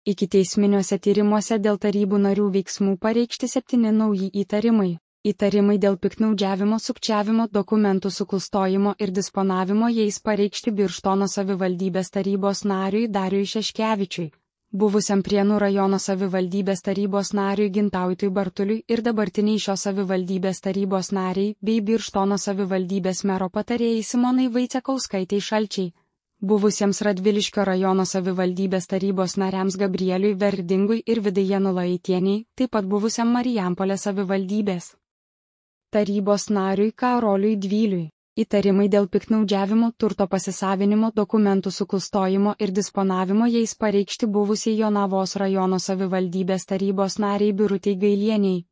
Ikiteisminiuose tyrimuose dėl tarybų narių veiksmų pareikšti 7 nauji įtarimai. Įtarimai dėl piktnaudžiavimo, sukčiavimo, dokumentų suklastojimo ir disponavimo jais pareikšti Birštono savivaldybės tarybos nariui Dariui Šeškevičiui, buvusiam Prienų rajono savivaldybės tarybos nariui Gintautui Bartuliui ir dabartiniai šios savivaldybės tarybos nariai bei Birštono savivaldybės mero patarėjai Simonai Vaicekauskaitei Šalčiai, buvusiems Radviliškio rajono savivaldybės tarybos nariams Gabrieliui Verdingui ir Vidai Janulaitieniai, taip pat buvusiam Marijampolės savivaldybės tarybos nariui Karoliui Dvyliui. Įtarimai dėl piktnaudžiavimo, turto pasisavinimo, dokumentų suklastojimo ir disponavimo jais pareikšti buvusiai Jonavos rajono savivaldybės tarybos nariai Birutei Gailieniai,